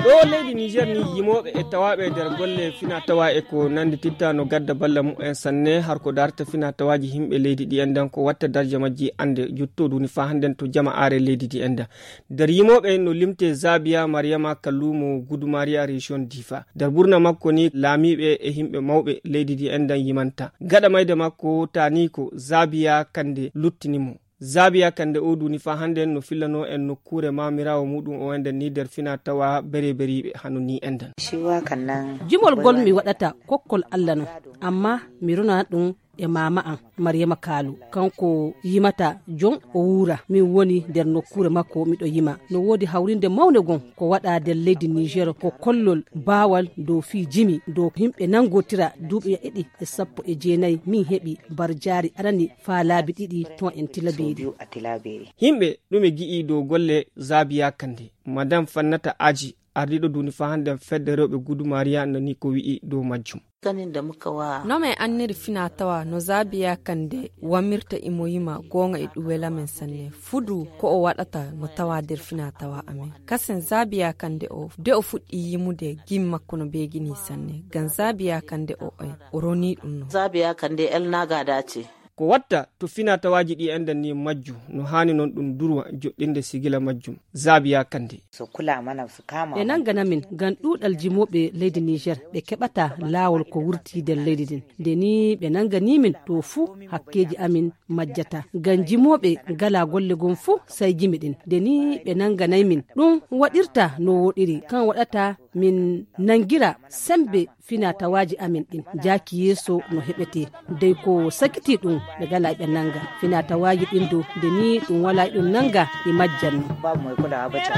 ɗo leydi Niger ni yimoɓe e tawaɓe nder golle fina tawa e ko nandi titta no gadda balla mu'en sanne har ko darta fina tawaji himɓe leydi ɗi endan ko watta darja majji ande juttoduni fa handen to jama are leydi ɗi enda nder yimoɓe no limte Zabia Mariama Kallumo Gudumariya region Difa nder burna makko ni laamiɓe e himɓe mawɓe leydi ɗi endan yimanta gaɗa mayde makko tani ko Zabia Kande luttinimo Zabia Kande o duni fa handen no fillano en nokkure mamirawo muɗum o enden ni nder fina tawa beriɓe hanu ni endan shiwa kannan jumol gol mi waɗata kokkol Allah no amma mi rona ɗum e mama an Mariama Kalu kanko yimata jon o wura min woni nder nokkure makko miɗo yima no wodi hawrinde mawne gon ko waɗa nder leydi Niger ko kollol bawal dow fi jimi dow himɓe nangotira duuɓi 219 min heɓi barjari arani fa laabi 2 ton en Tilaberi himɓe ɗume gi'i dow golle Zabia Kande madame Fannata Aji ardiɗo duni fa handen fedde rewɓe Gudumariya nani ko wi'i dow majjum kanin da muka wa no mai anniri fina tawa no Zabia Kande wamirta imoyima gonga e ɗuwela men sanne fudu ko o waɗata no tawa nder fina tawa amen kasen Zabia Kande o de o fuɗɗi yimude gim makko no begini sanne gan Zabia Kande o roni ɗum no Zabia Kande el naga dace ko watta to fina tawaji ɗi endan ni majju no hani non ɗum durwa joɗɗinde sigila majjum Zabia Kande so kula mana su kama e nangana min gan ɗuɗal jimoɓe leydi Niger ɓe keɓata lawol ko wurti nder leydi din nde ni ɓe nangani min to fu hakkeji amin majjata gan jimoɓe gala golle gon fu sai jimi ɗin nde ni ɓe nanganay min ɗum waɗirta no woɗiri kan waɗata min nangira sembe fina tawaji amin ɗin jaki yeso no heɓete dey ko sakiti ɗum ɓe gala ɓe nanga fina tawaji ɗin do nde ni ɗum wala ɗum nanga e majjanno babu mai kulawa ba ta